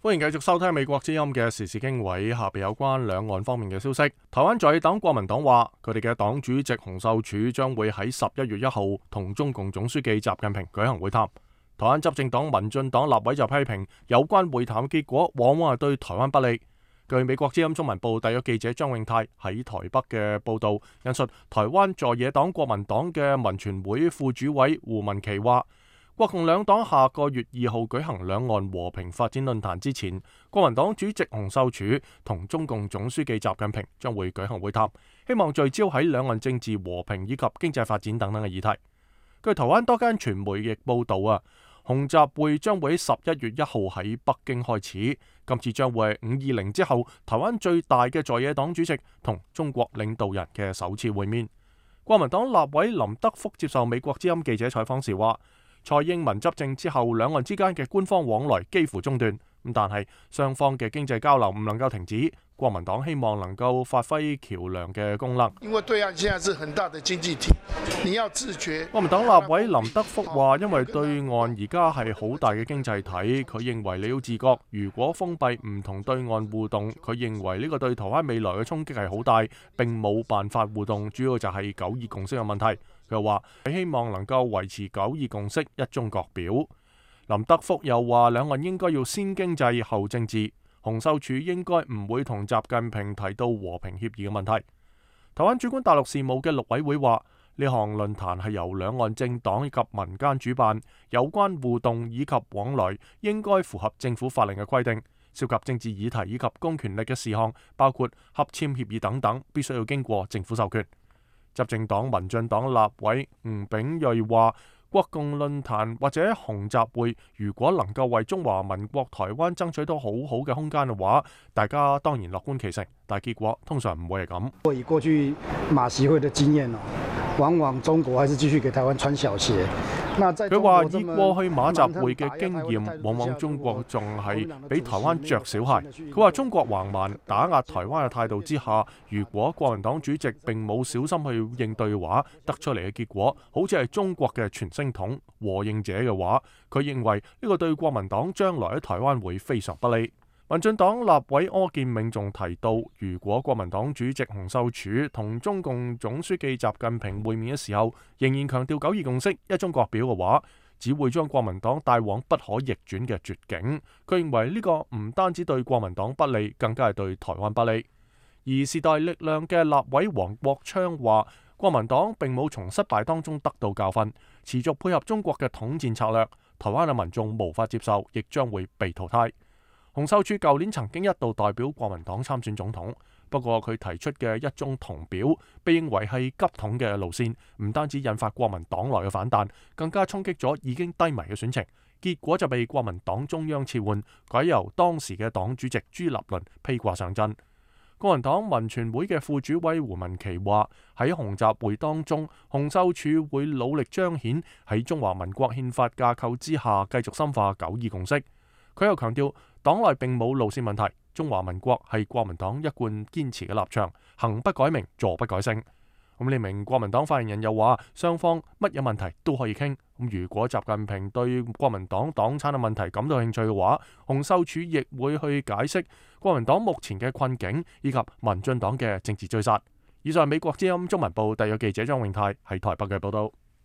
歡迎繼續收聽美國之音嘅時事經緯，下邊有關兩岸方面嘅消息。台灣在野黨國民黨話，佢哋嘅黨主席洪秀柱將會喺11月1號同中共總書記習近平舉行會談。台灣執政黨民進黨立委就批評有關會談結果往往係對台灣不利。據美國之音中文部特約記者張永泰喺台北嘅報道，引述台灣在野黨國民黨嘅民權會副主委胡文琪話，國共兩黨下個月2號舉行兩岸和平發展論壇之前，國民黨主席洪秀柱同中共總書記習近平將會舉行會談，希望聚焦喺兩岸政治和平以及經濟發展等等嘅議題。據台灣多間傳媒亦報道洪習會將會喺11月1號喺北京開始，今次將會係520之後台灣最大嘅在野黨主席同中國領導人嘅首次會面。國民黨立委林德福接受美國之音記者採訪時話，蔡英文執政之後，兩岸之間嘅官方往來幾乎中斷，但係雙方嘅經濟交流唔能夠停止。國民黨希望能夠發揮橋梁嘅功能。因為對岸現在是很大的經濟體，你要自覺。國民黨立委林德福話，因為對岸而家係好大嘅經濟體，佢認為你要自覺。如果封閉唔同對岸互動，佢認為呢個對台灣未來嘅衝擊係好大，並冇辦法互動，主要就係9·2共識嘅問題。佢話佢希望能夠維持9·2共識一中各表。林德福又話，兩岸應該要先經濟後政治。洪秀柱應該唔會同習近平提到和平協議嘅問題。台灣主管大陸事務嘅陸委會話，呢項論壇係由兩岸政黨以及民間主辦，有關互動以及往來應該符合政府法令嘅規定，涉及政治議題以及公權力嘅事項，包括合簽協議等等，必須要經過政府授權。執政黨民進黨立委吳秉叡話，國共論壇或者洪習會，如果能夠為中華民國台灣爭取到好好嘅空間嘅話，大家當然樂觀其成，但係結果通常唔會係咁。以過去馬習會嘅經驗往往中國還是繼續給台灣穿小鞋。佢話以過去馬習會嘅經驗，往往中國仲係俾台灣着小鞋。佢話中國橫蠻打壓台灣嘅態度之下，如果國民黨主席並冇小心去應對嘅話，得出嚟嘅結果好似係中國嘅傳聲筒和應者嘅話，佢認為呢個對國民黨將來喺台灣會非常不利。民進黨立委柯建銘仲提到，如果國民黨主席洪秀柱同中共總書記習近平會面嘅時候，仍然強調9·2共識一中各表嘅話，只會將國民黨帶往不可逆轉嘅絕境。佢認為呢個唔單止對國民黨不利，更加係對台灣不利。而時代力量嘅立委黃國昌話，國民黨並冇從失敗當中得到教訓，持續配合中國嘅統戰策略，台灣嘅民眾無法接受，亦將會被淘汰。洪秀柱舊年曾經一度代表國民黨參選總統，不過佢提出嘅一中同表被認為係急統嘅路線，唔單止引發國民黨內嘅反彈，更加衝擊咗已經低迷嘅選情，結果就被國民黨中央撤換，改由當時嘅黨主席朱立倫披掛上陣。國民黨民權會嘅副主委胡文琪話，喺洪習會當中，洪秀柱會努力彰顯喺中華民國憲法架構之下繼續深化9·2共識。佢又強調，黨內並冇路線問題，中華民國係國民黨一貫堅持嘅立場，行不改名，坐不改姓。咁呢名國民黨發言人又話，雙方乜嘢問題都可以傾。咁如果習近平對國民黨黨產嘅問題感到興趣嘅話，洪秀柱亦會去解釋國民黨目前嘅困境以及民進黨嘅政治追殺。以上係美國之音中文部特約記者張永泰喺台北嘅報道。